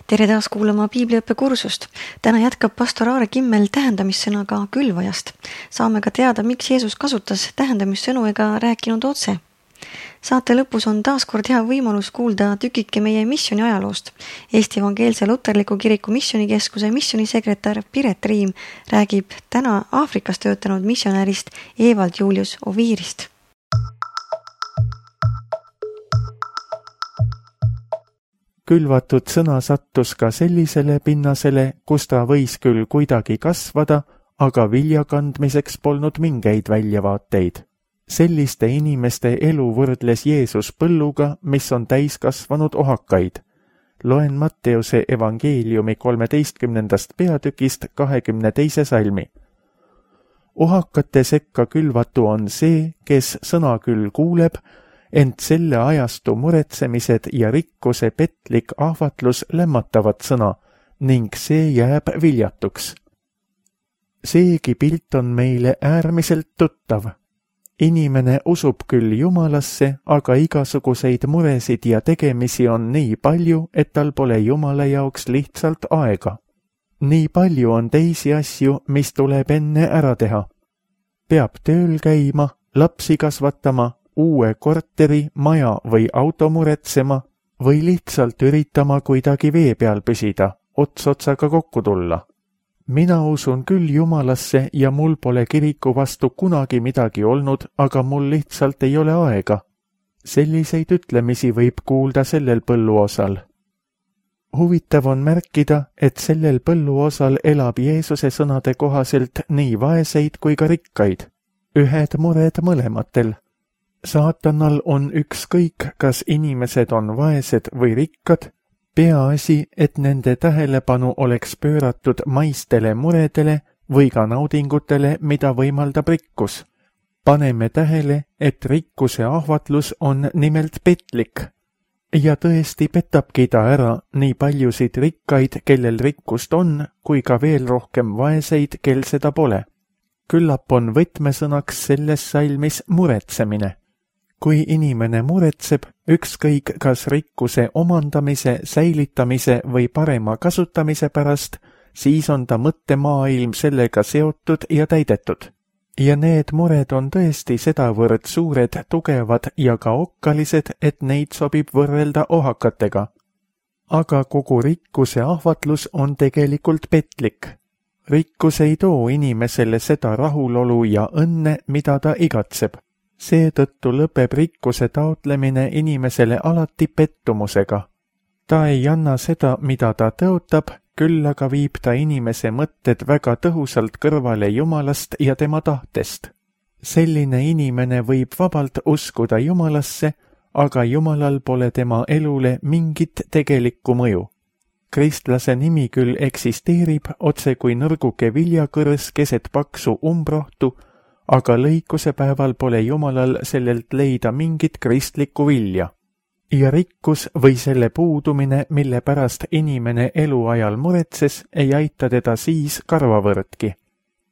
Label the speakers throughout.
Speaker 1: Tere taas kuulama Piibliõppe kursust. Täna jätkab pastor Aare Kimmel tähendamissõnaga külvajast. Saame ka teada, miks Jeesus kasutas tähendamissõnu ega rääkinud otse. Saate lõpus on taaskord hea võimalus kuulda tükike meie missiooni ajaloost. Eesti Evangeelse Luterliku Kiriku Missioonikeskuse missionisekretär Piret Riim räägib täna Aafrikas töötanud missionärist Evald Julius Oviirist.
Speaker 2: Külvatud sõna sattus ka sellisele pinnasele, kus ta võis küll kuidagi kasvada, aga vilja kandmiseks polnud mingeid väljavaateid. Selliste inimeste elu võrdles Jeesus põlluga, mis on täiskasvanud ohakaid. Loen Matteuse evangeeliumi 13. peatükist 22. salmi. Ohakate sekka külvatu on see, kes sõna küll kuuleb, ent selle ajastu muretsemised ja rikkuse petlik ahvatlus lämmatavad sõna ning see jääb viljatuks. Seegi pilt on meile äärmiselt tuttav. Inimene usub küll Jumalasse, aga igasuguseid muresid ja tegemisi on nii palju, et tal pole Jumala jaoks lihtsalt aega. Nii palju on teisi asju, mis tuleb enne ära teha. Peab tööl käima, lapsi kasvatama, uue korteri, maja või auto muretsema või lihtsalt üritama kuidagi vee peal püsida, ots otsaga kokku tulla. Mina usun küll Jumalasse ja mul pole kiriku vastu kunagi midagi olnud, aga mul lihtsalt ei ole aega. Selliseid ütlemisi võib kuulda sellel põlluosal. Huvitav on märkida, et sellel põlluosal elab Jeesuse sõnade kohaselt nii vaeseid kui ka rikkaid. Ühed mured mõlematel. Saatanal on ükskõik, kas inimesed on vaesed või rikkad, peaasi, et nende tähelepanu oleks pööratud maistele muredele või ka naudingutele, mida võimaldab rikkus. Paneme tähele, et rikkuse ahvatlus on nimelt petlik. Ja tõesti petabki ta ära nii paljusid rikkaid, kellel rikkust on, kui ka veel rohkem vaeseid, kel seda pole. Küllap on võtmesõnaks selles salmis muretsemine. Kui inimene muretseb, ükskõik kas rikkuse omandamise, säilitamise või parema kasutamise pärast, siis on ta mõttemaailm sellega seotud ja täidetud. Ja need mured on tõesti sedavõrd suured, tugevad ja ka okkalised, et neid sobib võrrelda ohakatega. Aga kogu rikkuse ahvatlus on tegelikult petlik. Rikkus ei too inimesele seda rahulolu ja õnne, mida ta igatseb. Seetõttu lõpeb rikkuse taotlemine inimesele alati pettumusega. Ta ei anna seda, mida ta tõotab, küll aga viib ta inimese mõtted väga tõhusalt kõrvale Jumalast ja tema tahtest. Selline inimene võib vabalt uskuda Jumalasse, aga Jumalal pole tema elule mingit tegelikku mõju. Kristlase nimi küll eksisteerib otse kui nõrguke viljakõrs keset paksu umbrohtu, aga lõikuse päeval pole Jumalal sellelt leida mingit kristlikku vilja. Ja rikkus või selle puudumine, mille pärast inimene eluajal muretses, ei aita teda siis karvavõrdki.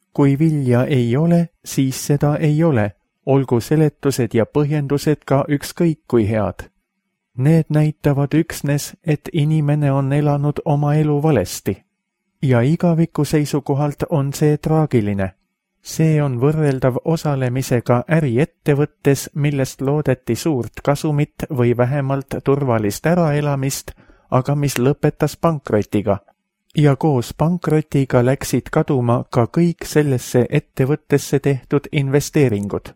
Speaker 2: Kui vilja ei ole, siis seda ei ole, olgu seletused ja põhjendused ka ükskõik kui head. Need näitavad üksnes, et inimene on elanud oma elu valesti. Ja igaviku seisukohalt on see traagiline. See on võrreldav osalemisega äriettevõttes, millest loodeti suurt kasumit või vähemalt turvalist äraelamist, aga mis lõpetas pankrotiga. Ja koos pankrotiga läksid kaduma ka kõik sellesse ettevõttesse tehtud investeeringud.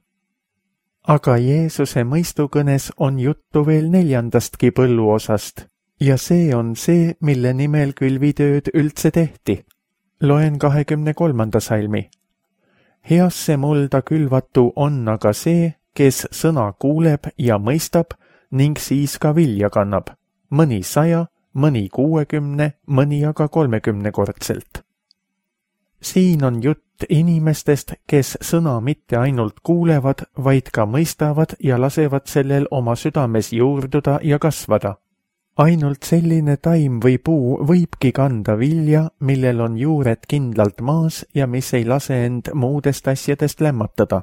Speaker 2: Aga Jeesuse mõistukõnes on juttu veel 4. põlluosast, ja see on see, mille nimel külvitööd üldse tehti. Loen 23. salmi. Heasse mulda külvatu on aga see, kes sõna kuuleb ja mõistab ning siis ka vilja kannab, mõni 100, mõni 60, mõni aga 30-kordselt. Siin on jutt inimestest, kes sõna mitte ainult kuulevad, vaid ka mõistavad ja lasevad sellel oma südames juurduda ja kasvada. Ainult selline taim või puu võibki kanda vilja, millel on juured kindlalt maas ja mis ei lase end muudest asjadest lämmatada.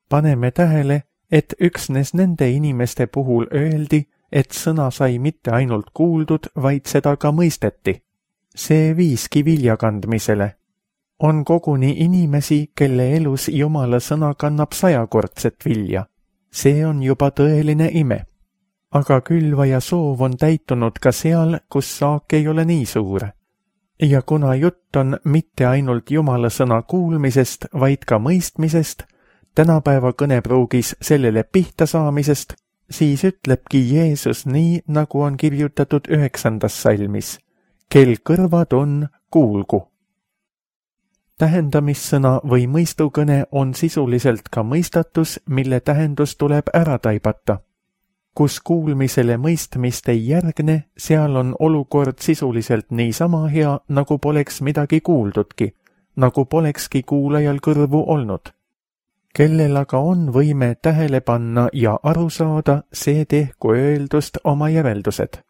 Speaker 2: Paneme tähele, et üksnes nende inimeste puhul öeldi, et sõna sai mitte ainult kuuldud, vaid seda ka mõisteti. See viiski vilja kandmisele. On koguni inimesi, kelle elus Jumala sõna kannab 100-kordset vilja. See on juba tõeline ime. Aga külvaja soov on täitunud ka seal, kus saak ei ole nii suur. Ja kuna jutt on mitte ainult Jumala sõna kuulmisest, vaid ka mõistmisest, tänapäeva kõnepruugis sellele pihta saamisest, siis ütlebki Jeesus nii, nagu on kirjutatud 9. salmis. Kel kõrvad on, kuulgu. Tähendamissõna või mõistukõne on sisuliselt ka mõistatus, mille tähendus tuleb ära taibata. Kus kuulmisele mõistmist ei järgne, seal on olukord sisuliselt niisama hea, nagu poleks midagi kuuldudki, nagu polekski kuulajal kõrvu olnud. Kellel aga on võime tähele panna ja aru saada, see tehku öeldust oma järeldused.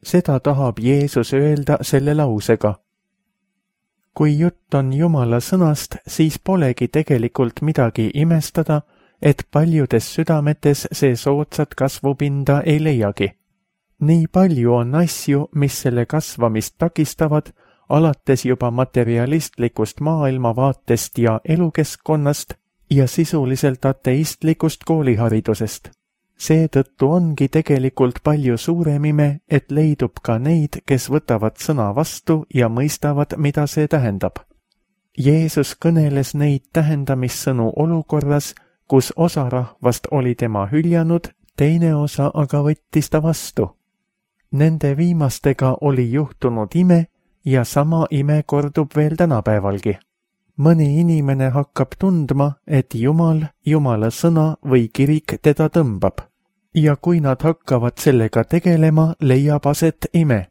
Speaker 2: Seda tahab Jeesus öelda selle lausega. Kui jutt on Jumala sõnast, siis polegi tegelikult midagi imestada, et paljudes südametes see soodsat kasvupinda ei leiagi. Nii palju on asju, mis selle kasvamist takistavad, alates juba materialistlikust maailmavaatest ja elukeskkonnast ja sisuliselt ateistlikust kooliharidusest. Seetõttu ongi tegelikult palju suurem ime, et leidub ka neid, kes võtavad sõna vastu ja mõistavad, mida see tähendab. Jeesus kõneles neid tähendamissõnu olukorras, kus osa rahvast oli tema hüljanud, teine osa aga võttis ta vastu. Nende viimastega oli juhtunud ime ja sama ime kordub veel tänapäevalgi. Mõni inimene hakkab tundma, et Jumal, Jumala sõna või kirik teda tõmbab. Ja kui nad hakkavad sellega tegelema, leiab aset ime.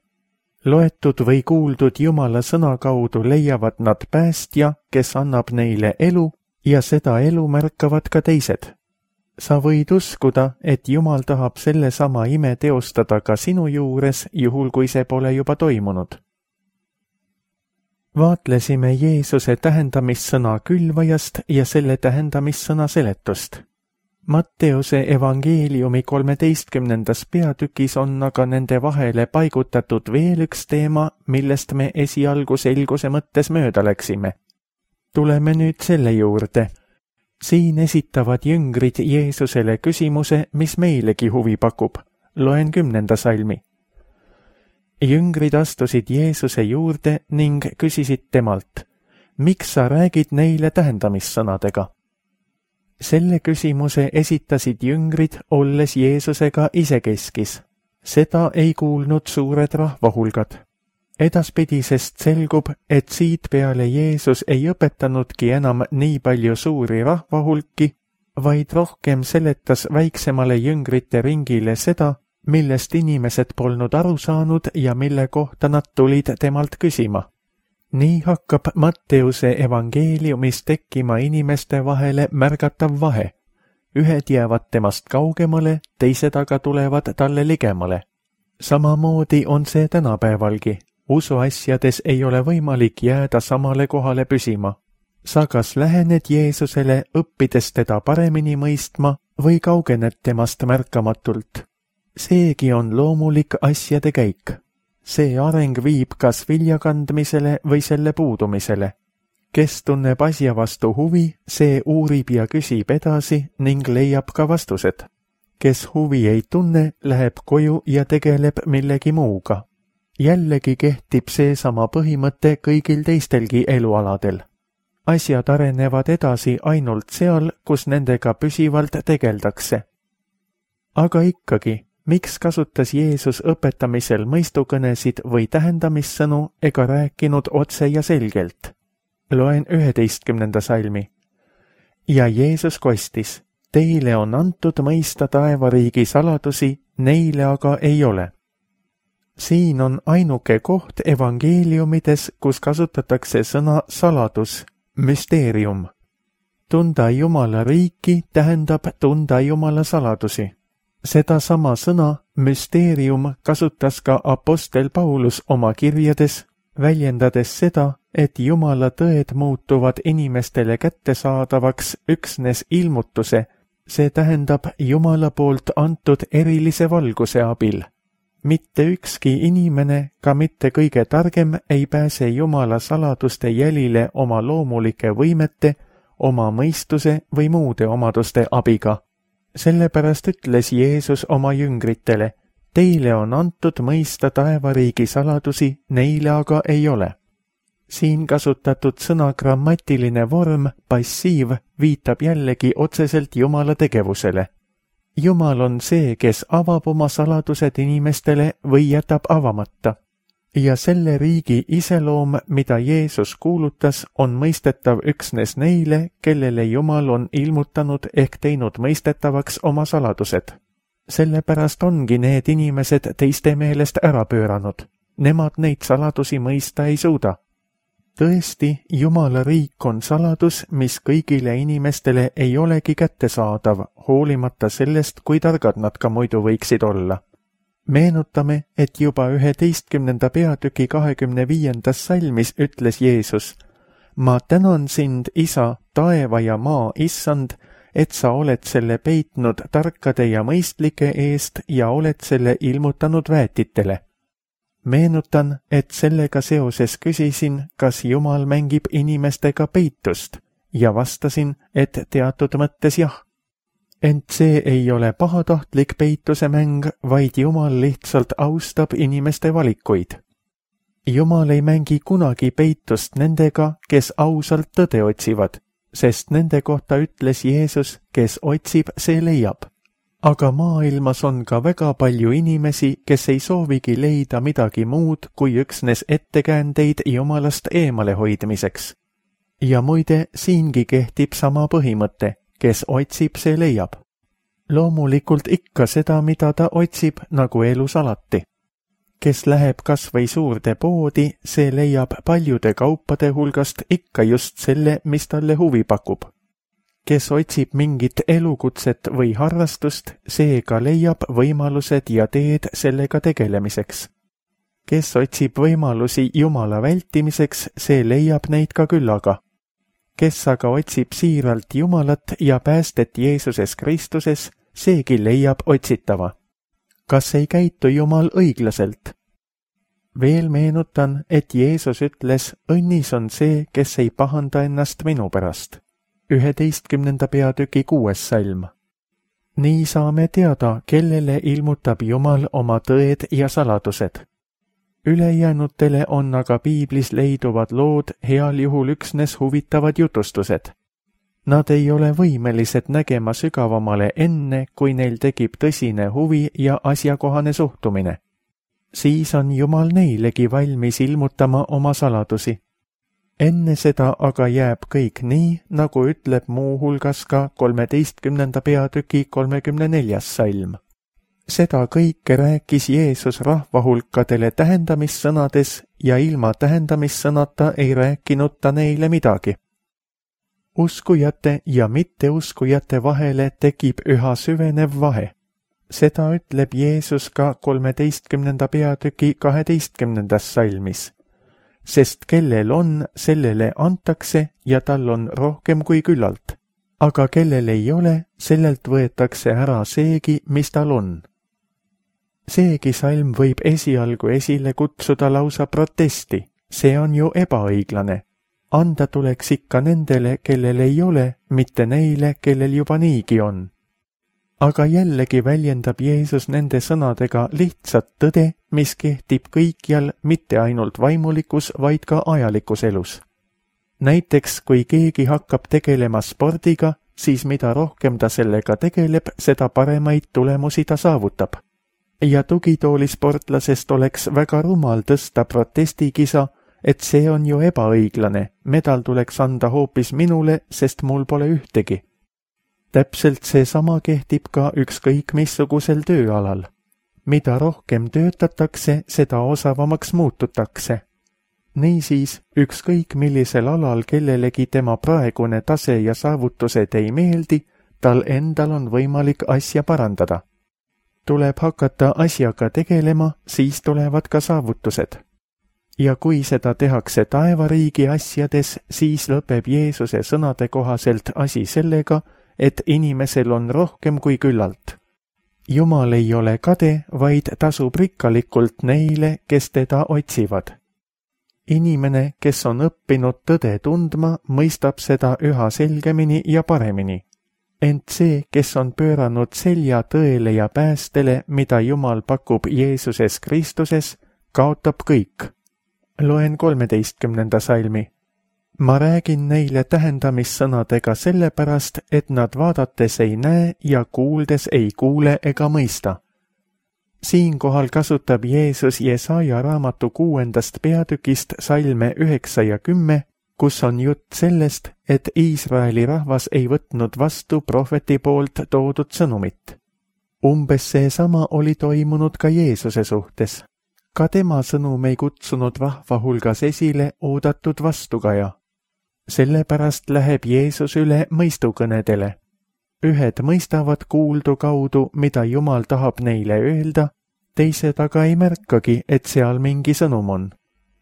Speaker 2: Loetud või kuuldud Jumala sõna kaudu leiavad nad päästja, kes annab neile elu, ja seda elu märkavad ka teised. Sa võid uskuda, et Jumal tahab selle sama ime teostada ka sinu juures, juhul kui see pole juba toimunud. Vaatlesime Jeesuse tähendamissõna külvajast ja selle tähendamissõna seletust. Matteuse evangeeliumi 13. peatükis on aga nende vahele paigutatud veel üks teema, millest me esialgu selguse mõttes mööda läksime. Tuleme nüüd selle juurde. Siin esitavad jüngrid Jeesusele küsimuse, mis meilegi huvi pakub. Loen 10. salmi. Jüngrid astusid Jeesuse juurde ning küsisid temalt, miks sa räägid neile tähendamissõnadega? Selle küsimuse esitasid jüngrid, olles Jeesusega isekeskis. Seda ei kuulnud suured rahvahulgad. Edaspidisest selgub, et siit peale Jeesus ei õpetanudki enam nii palju suuri rahvahulki, vaid rohkem seletas väiksemale jüngrite ringile seda, millest inimesed polnud aru saanud ja mille kohta nad tulid temalt küsima. Nii hakkab Matteuse evangeeliumis tekkima inimeste vahele märgatav vahe. Ühed jäävad temast kaugemale, teised aga tulevad talle ligemale. Samamoodi on see tänapäevalgi. Usuasjades ei ole võimalik jääda samale kohale püsima. Sa kas lähened Jeesusele, õppides teda paremini mõistma või kaugened temast märkamatult. Seegi on loomulik asjade käik. See areng viib kas viljakandmisele või selle puudumisele. Kes tunneb asja vastu huvi, see uurib ja küsib edasi ning leiab ka vastused. Kes huvi ei tunne, läheb koju ja tegeleb millegi muuga. Jällegi kehtib seesama põhimõte kõigil teistelgi elualadel. Asjad arenevad edasi ainult seal, kus nendega püsivalt tegeldakse. Aga ikkagi, miks kasutas Jeesus õpetamisel mõistukõnesid või tähendamissõnu ega rääkinud otse ja selgelt? Loen 11. salmi. Ja Jeesus kostis, teile on antud mõista taevariigi saladusi, neile aga ei ole. Siin on ainuke koht evangeeliumides, kus kasutatakse sõna saladus, müsteerium. Tunda Jumala riiki tähendab tunda Jumala saladusi. Seda sama sõna, müsteerium, kasutas ka apostel Paulus oma kirjades, väljendades seda, et Jumala tõed muutuvad inimestele kättesaadavaks üksnes ilmutuse, See tähendab Jumala poolt antud erilise valguse abil. Mitte ükski inimene, ka mitte kõige targem, ei pääse Jumala saladuste jälile oma loomulike võimete, oma mõistuse või muude omaduste abiga. Sellepärast ütles Jeesus oma jüngritele, teile on antud mõista taevariigi saladusi, neile aga ei ole. Siin kasutatud sõna grammatiline vorm, passiiv, viitab jällegi otseselt Jumala tegevusele. Jumal on see, kes avab oma saladused inimestele või jätab avamata. Ja selle riigi iseloom, mida Jeesus kuulutas, on mõistetav üksnes neile, kellele Jumal on ilmutanud ehk teinud mõistetavaks oma saladused. Sellepärast ongi need inimesed teiste meelest ära pööranud. Nemad neid saladusi mõista ei suuda. Tõesti, Jumala riik on saladus, mis kõigile inimestele ei olegi kättesaadav, hoolimata sellest, kui targad nad ka muidu võiksid olla. Meenutame, et juba 11. peatüki 25. salmis ütles Jeesus, ma tänan sind, Isa, taeva ja maa issand, et sa oled selle peitnud tarkade ja mõistlike eest ja oled selle ilmutanud väetitele. Meenutan, et sellega seoses küsisin, kas Jumal mängib inimestega peitust ja vastasin, et teatud mõttes jah. Ent see ei ole pahatahtlik peituse mäng, vaid Jumal lihtsalt austab inimeste valikuid. Jumal ei mängi kunagi peitust nendega, kes ausalt tõde otsivad, sest nende kohta ütles Jeesus, kes otsib, see leiab. Aga maailmas on ka väga palju inimesi, kes ei soovigi leida midagi muud kui üksnes ettekäändeid Jumalast eemale hoidmiseks. Ja muide, siingi kehtib sama põhimõte, kes otsib, see leiab. Loomulikult ikka seda, mida ta otsib, nagu elus alati. Kes läheb kas või suurde poodi, see leiab paljude kaupade hulgast ikka just selle, mis talle huvi pakub. Kes otsib mingit elukutset või harrastust, see ka leiab võimalused ja teed sellega tegelemiseks. Kes otsib võimalusi Jumala vältimiseks, see leiab neid ka küllaga. Kes aga otsib siiralt Jumalat ja päästet Jeesuses Kristuses, seegi leiab otsitava. Kas ei käitu Jumal õiglaselt? Veel meenutan, et Jeesus ütles, õnnis on see, kes ei pahanda ennast minu pärast. 11. peatüki 6. salm. Nii saame teada, kellele ilmutab Jumal oma tõed ja saladused. Ülejäänutele on aga piiblis leiduvad lood heal juhul üksnes huvitavad jutustused. Nad ei ole võimelised nägema sügavamale enne, kui neil tekib tõsine huvi ja asjakohane suhtumine. Siis on Jumal neilegi valmis ilmutama oma saladusi. Enne seda aga jääb kõik nii, nagu ütleb muu hulgas ka 13. peatüki 34. salm. Seda kõike rääkis Jeesus rahvahulkadele tähendamissõnades ja ilma tähendamissõnata ei rääkinud ta neile midagi. Uskujate ja mitteuskujate vahele tekib üha süvenev vahe. Seda ütleb Jeesus ka 13. peatüki 12. salmis. Sest kellel on, sellele antakse ja tal on rohkem kui küllalt. Aga kellel ei ole, sellelt võetakse ära seegi, mis tal on. Seegi salm võib esialgu esile kutsuda lausa protesti. See on ju ebaõiglane. Anda tuleks ikka nendele, kellel ei ole, mitte neile, kellel juba niigi on. Aga jällegi väljendab Jeesus nende sõnadega lihtsat tõde, mis kehtib kõikjal, mitte ainult vaimulikus, vaid ka ajalikus elus. Näiteks, kui keegi hakkab tegelema spordiga, siis mida rohkem ta sellega tegeleb, seda paremaid tulemusi ta saavutab. Ja tugitoolisportlasest oleks väga rumal tõsta protestikisa, et see on ju ebaõiglane, medal tuleks anda hoopis minule, sest mul pole ühtegi. Täpselt seesama kehtib ka ükskõik missugusel tööalal. Mida rohkem töötatakse, seda osavamaks muututakse. Niisiis, ükskõik millisel alal kellelegi tema praegune tase ja saavutused ei meeldi, tal endal on võimalik asja parandada. Tuleb hakata asjaga tegelema, siis tulevad ka saavutused. Ja kui seda tehakse taevariigi asjades, siis lõpeb Jeesuse sõnade kohaselt asi sellega, et inimesel on rohkem kui küllalt. Jumal ei ole kade, vaid tasub rikkalikult neile, kes teda otsivad. Inimene, kes on õppinud tõde tundma, mõistab seda üha selgemini ja paremini. Ent see, kes on pööranud selja tõele ja päästele, mida Jumal pakub Jeesuses Kristuses, kaotab kõik. Loen 13. salmi. Ma räägin neile tähendamissõnadega sellepärast, et nad vaadates ei näe ja kuuldes ei kuule ega mõista. Siinkohal kasutab Jeesus Jesaja raamatu 6. peatükist salme 9 ja 10, kus on jutt sellest, et Iisraeli rahvas ei võtnud vastu prohveti poolt toodud sõnumit. Umbes seesama oli toimunud ka Jeesuse suhtes. Ka tema sõnum ei kutsunud rahva hulgas esile oodatud vastukaja. Sellepärast läheb Jeesus üle mõistukõnedele. Ühed mõistavad kuuldu kaudu, mida Jumal tahab neile öelda, teised aga ei märkagi, et seal mingi sõnum on.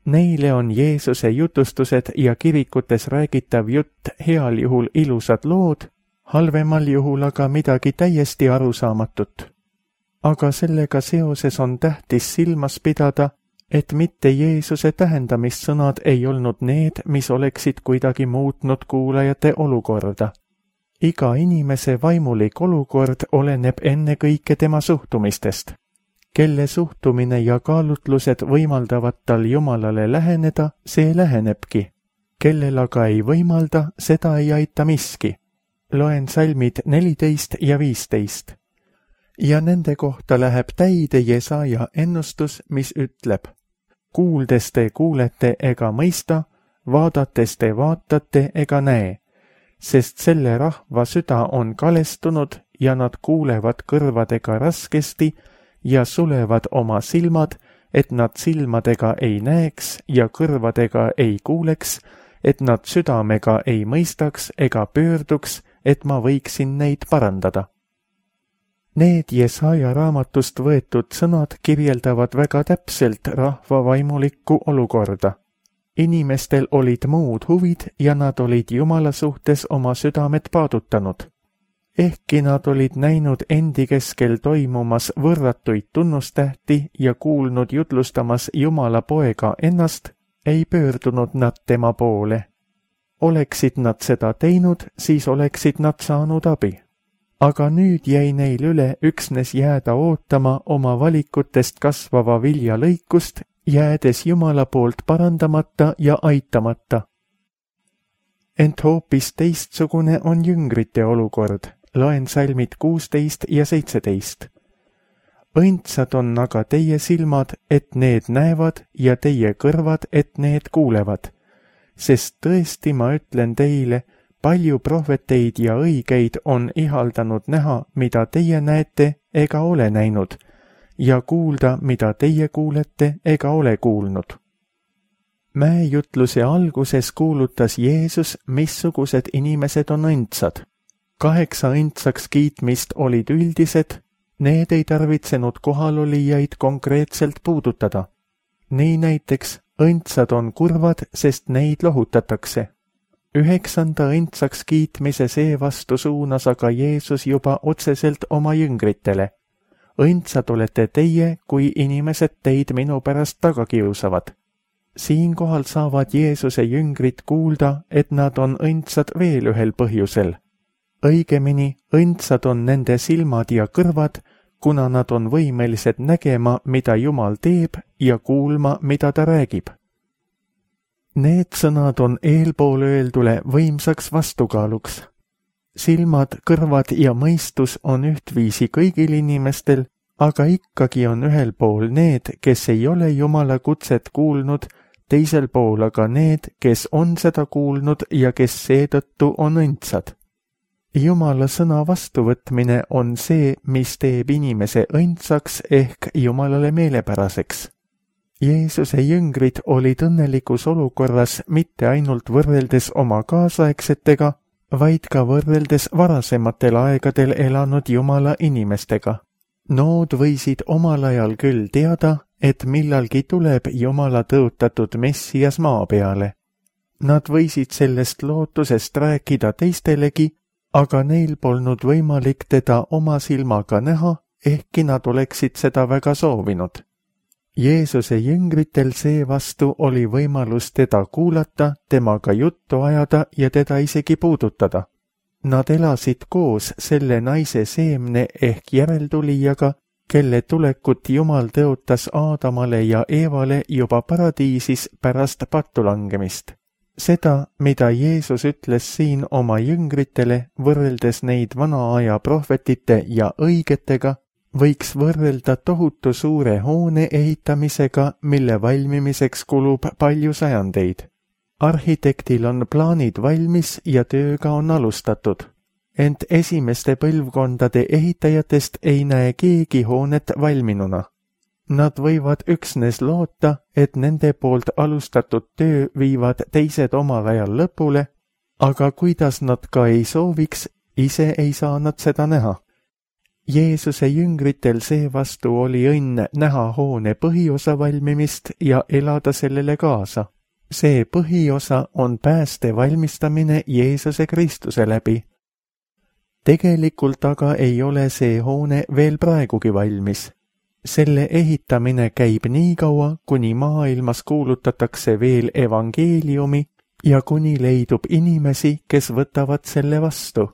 Speaker 2: Neile on Jeesuse jutustused ja kirikutes räägitav jutt heal juhul ilusad lood, halvemal juhul aga midagi täiesti arusaamatut. Aga sellega seoses on tähtis silmas pidada, et mitte Jeesuse tähendamissõnad ei olnud need, mis oleksid kuidagi muutnud kuulajate olukorda. Iga inimese vaimulik olukord oleneb ennekõike tema suhtumistest. Kelle suhtumine ja kaalutlused võimaldavad tal Jumalale läheneda, see lähenebki. Kellel aga ei võimalda, seda ei aita miski. Loen salmid 14 ja 15. Ja nende kohta läheb täide Jesaja ennustus, mis ütleb: kuuldes te kuulete ega mõista, vaadates te vaatate ega näe, sest selle rahva süda on kalestunud ja nad kuulevad kõrvadega raskesti ja sulevad oma silmad, et nad silmadega ei näeks ja kõrvadega ei kuuleks, et nad südamega ei mõistaks ega pöörduks, et ma võiksin neid parandada. Need Jesaja raamatust võetud sõnad kirjeldavad väga täpselt rahva vaimulikku olukorda. Inimestel olid muud huvid ja nad olid Jumala suhtes oma südamed paadutanud. Ehkki nad olid näinud endi keskel toimumas võrratuid tunnustähti ja kuulnud jutlustamas Jumala poega ennast, ei pöördunud nad tema poole. Oleksid nad seda teinud, siis oleksid nad saanud abi. Aga nüüd jäi neil üle üksnes jääda ootama oma valikutest kasvava vilja lõikust, jäädes Jumala poolt parandamata ja aitamata. Ent hoopis teistsugune on jüngrite olukord. Loen salmid 16 ja 17. Õndsad on aga teie silmad, et need näevad, ja teie kõrvad, et need kuulevad. Sest tõesti ma ütlen teile, palju prohveteid ja õigeid on ihaldanud näha, mida teie näete ega ole näinud, ja kuulda, mida teie kuulete ega ole kuulnud. Mäejutluse alguses kuulutas Jeesus, missugused inimesed on õndsad. 8 õndsaks kiitmist olid üldised, need ei tarvitsenud kohalolijaid konkreetselt puudutada. Nii näiteks õndsad on kurvad, sest neid lohutatakse. 9. õndsaks kiitmise seevastu suunas aga Jeesus juba otseselt oma jüngritele. Õndsad olete teie, kui inimesed teid minu pärast taga kiusavad. Siinkohal saavad Jeesuse jüngrid kuulda, et nad on õndsad veel ühel põhjusel. Õigemini, õndsad on nende silmad ja kõrvad, kuna nad on võimelised nägema, mida Jumal teeb, ja kuulma, mida ta räägib. Need sõnad on eelpool öeldule võimsaks vastukaaluks. Silmad, kõrvad ja mõistus on ühtviisi kõigil inimestel, aga ikkagi on ühel pool need, kes ei ole Jumala kutset kuulnud, teisel pool aga need, kes on seda kuulnud ja kes seetõttu on õndsad. Jumala sõna vastuvõtmine on see, mis teeb inimese õndsaks ehk Jumalale meelepäraseks. Jeesuse jüngrid olid õnnelikus olukorras mitte ainult võrreldes oma kaasaegsetega, vaid ka võrreldes varasematel aegadel elanud Jumala inimestega. Nood võisid omal ajal küll teada, et millalgi tuleb Jumala tõotatud Messias maa peale. Nad võisid sellest lootusest rääkida teistelegi, aga neil polnud võimalik teda oma silmaga näha, ehkki nad oleksid seda väga soovinud. Jeesuse jüngritel seevastu oli võimalus teda kuulata, temaga juttu ajada ja teda isegi puudutada. Nad elasid koos selle naise seemne ehk järeltulijaga, kelle tulekut Jumal tõotas Aadamale ja Eevale juba paradiisis pärast pattu langemist. Seda, mida Jeesus ütles siin oma jüngritele, võrreldes neid vana aja prohvetite ja õigetega, võiks võrrelda tohutu suure hoone ehitamisega, mille valmimiseks kulub palju sajandeid. Arhitektil on plaanid valmis ja tööga on alustatud. Ent esimeste põlvkondade ehitajatest ei näe keegi hoonet valminuna. Nad võivad üksnes loota, et nende poolt alustatud töö viivad teised omal ajal lõpule, aga kuidas nad ka ei sooviks, ise ei saa nad seda näha. Jeesuse jüngritel seevastu oli õnn näha hoone põhiosa valmimist ja elada sellele kaasa. See põhiosa on pääste valmistamine Jeesuse Kristuse läbi. Tegelikult aga ei ole see hoone veel praegugi valmis. Selle ehitamine käib nii kaua, kuni maailmas kuulutatakse veel evangeeliumi ja kuni leidub inimesi, kes võtavad selle vastu.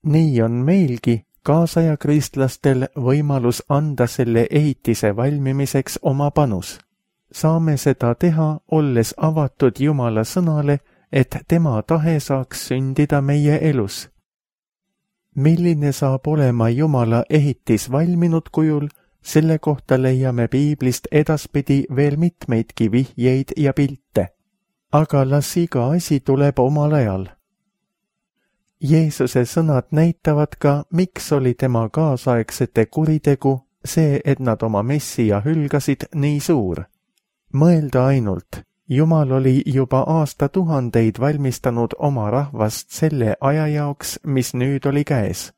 Speaker 2: Nii on meilgi, kaasaja kristlastel, võimalus anda selle ehitise valmimiseks oma panus. Saame seda teha, olles avatud Jumala sõnale, et tema tahe saaks sündida meie elus. Milline saab olema Jumala ehitis valminud kujul, selle kohta leiame Piiblist edaspidi veel mitmeidki vihjeid ja pilte. Aga las iga asi tuleb omal ajal. Jeesuse sõnad näitavad ka, miks oli tema kaasaegsete kuritegu see, et nad oma Messia hülgasid, nii suur. Mõelda ainult, Jumal oli juba aastatuhandeid valmistanud oma rahvast selle aja jaoks, mis nüüd oli käes.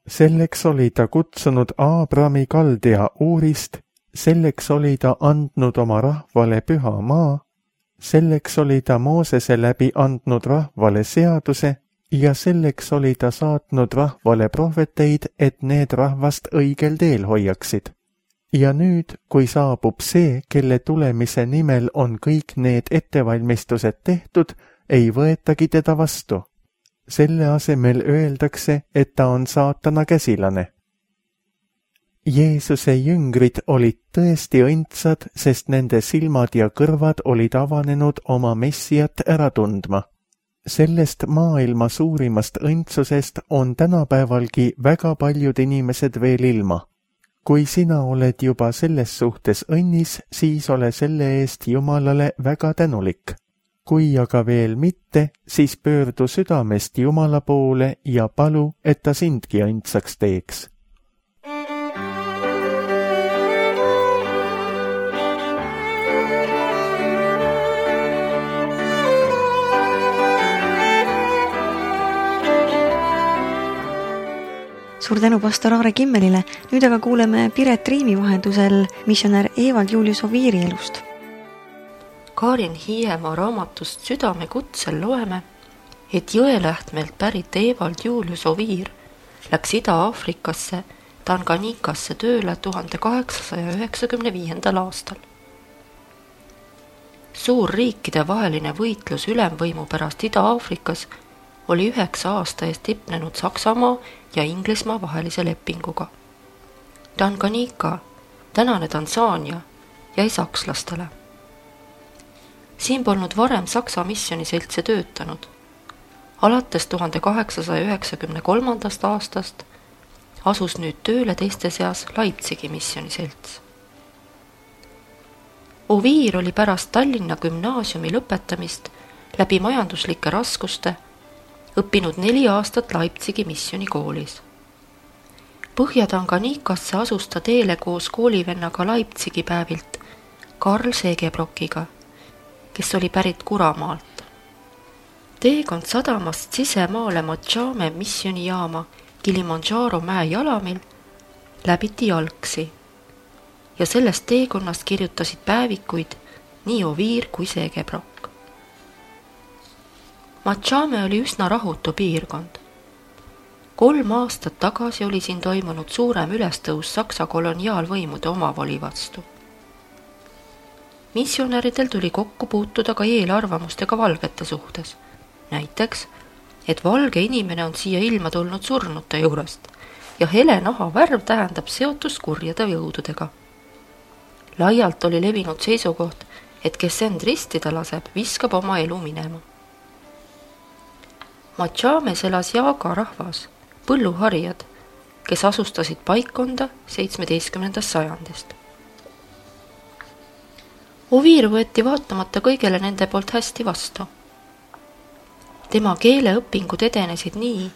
Speaker 2: Selleks oli ta kutsunud Aabrami Kaldea Uurist, selleks oli ta andnud oma rahvale püha maa, selleks oli ta Moosese läbi andnud rahvale seaduse ja selleks oli ta saatnud rahvale prohveteid, et need rahvast õigel teel hoiaksid. Ja nüüd, kui saabub see, kelle tulemise nimel on kõik need ettevalmistused tehtud, ei võetagi teda vastu. Selle asemel öeldakse, et ta on saatana käsilane. Jeesuse jüngrid olid tõesti õndsad, sest nende silmad ja kõrvad olid avanenud oma Messiat ära tundma. Sellest maailma suurimast õndsusest on tänapäevalgi väga paljud inimesed veel ilma. Kui sina oled juba selles suhtes õnnis, siis ole selle eest Jumalale väga tänulik. Kui aga veel mitte, siis pöördu südamest Jumala poole ja palu, et ta sindki õndsaks teeks.
Speaker 1: Suur tänu pastor Aare Kimmelile. Nüüd aga kuuleme Piret Riimi vahendusel missionär Evald Julius Oviiri elust.
Speaker 3: Kaarin Hiiemaa raamatust Südame kutsel loeme, et Jõelähtmelt pärit Evald Julius Oviir läks Ida-Aafrikasse Tanganyikasse tööle 1895. aastal. Suur riikide vaheline võitlus ülemvõimu pärast Ida-Aafrikas oli 9 aasta eest tipnenud Saksamaa ja Inglismaa vahelise lepinguga. Tanganyika, tänane Tansaania, jäi sakslastele. Siin polnud varem Saksa missioniseltse töötanud. Alates 1893. aastast asus nüüd tööle teiste seas Leipzigi missioniselts. Oviir oli pärast Tallinna gümnaasiumi lõpetamist läbi majanduslike raskuste õppinud 4 aastat Leipzigi missionikoolis. Põhja-Tanganyikasse asus ta teele koos koolivennaga Leipzigi päevilt Karl Segebrockiga, kes oli pärit Kuramaalt. Teekond sadamast sisemaale Mochame missionijaama Kilimanjaro mäe jalamil läbiti jalgsi ja sellest teekonnast kirjutasid päevikuid nii Oviir kui Segebrock. Mochame oli üsna rahutu piirkond. 3 aastat tagasi oli siin toimunud suurem ülestõus Saksa koloniaalvõimude omavoli vastu. Missionäridel tuli kokku puutuda ka eelarvamustega valgete suhtes. Näiteks, et valge inimene on siia ilma tulnud surnute juurest ja hele naha värv tähendab seotust kurjade jõududega. Laialt oli levinud seisukoht, et kes end ristida laseb, viskab oma elu minema. Machames elas Jaaga rahvas, põlluharijad, kes asustasid paikkonda 17. sajandist. Oviir võeti vaatamata kõigele nende poolt hästi vastu. Tema keeleõpingud edenesid nii,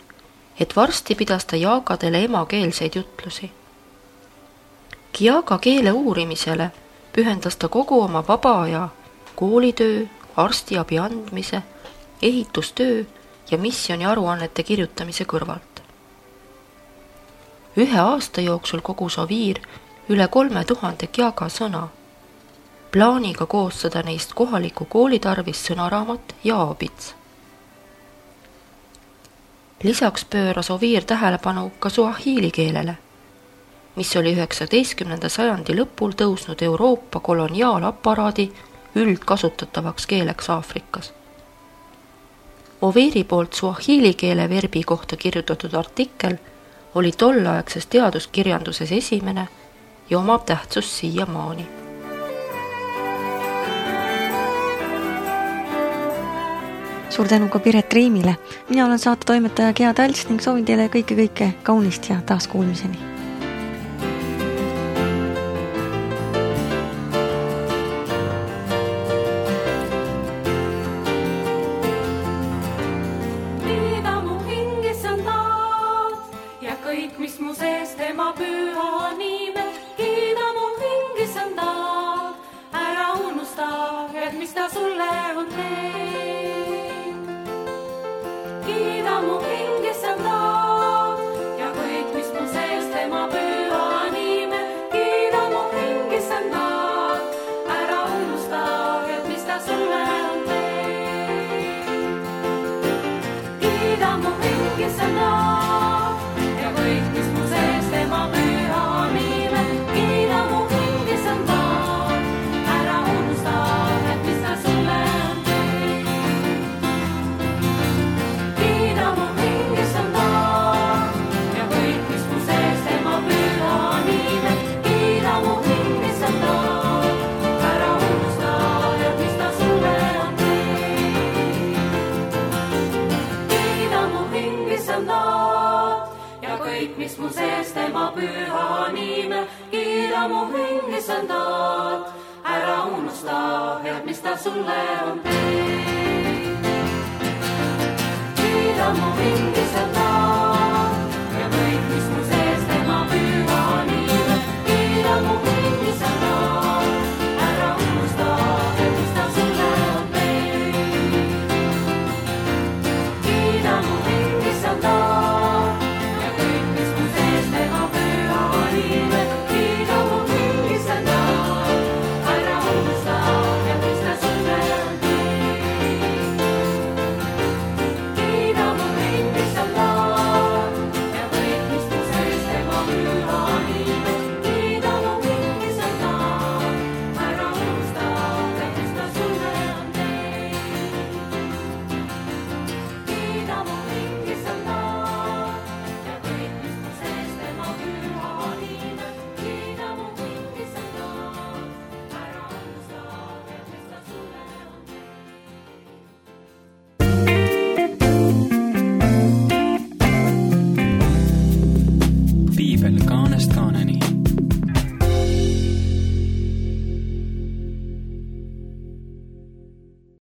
Speaker 3: et varsti pidas ta jaagadele emakeelseid jutlusi. Jaaga keele uurimisele pühendas ta kogu oma vaba aja koolitöö, arstiabi andmise, ehitustöö ja missioni aruannete kirjutamise kõrvalt. 1 aasta jooksul kogus Oviir üle 3000 Jaaga sõna, plaaniga koostada neist kohaliku kooli tarvis sõnaraamat ja aabits. Lisaks pööras Oviir tähelepanu ka suahiili keelele, mis oli 19. sajandi lõpul tõusnud Euroopa koloniaalaparaadi üldkasutatavaks keeleks Aafrikas. Oviiri poolt suahiili keele verbi kohta kirjutatud artikkel oli tolleaegses teaduskirjanduses esimene ja omab tähtsust siiamaani.
Speaker 1: Suur tänu ka Piret Riimile. Mina olen saatetoimetaja Gea Talts ning soovin teile kõike kaunist ja taaskuulmiseni.
Speaker 4: Kõik, mis mu sees tema püha nime, kiida mu hingis on ta, ära unusta, et mis ta sulle on teinud. Kiida mu hingis on ta, ja kõik, mis mu sees tema püha nime, kiida mu hingis on ta, ära unusta, et mis ta sulle on teinud. Kiida mu hingis on ta, kõik, mis mu sees tema püha nime, kiida mu hingis on ta, ära unusta, et mis ta sulle on teinud. Kiida mu hingis on ta, ja kõik, mis mu sees tema püha nime, kiida mu hingis on ta, ära unusta, et mis ta sulle on teinud. Kiida mu hingis on ta, kõik, mis mu sees tema püha nime, kiida mu hingis on ta, ära unusta, et mis ta sulle on teinud. Kiida mu hingis on ta, ja kõik, mis mu sees tema püha nime, kiida mu hingis on ta, ära unusta, et mis ta sulle on teinud. Kiida mu hingis on ta,
Speaker 5: Kaanest kaaneni.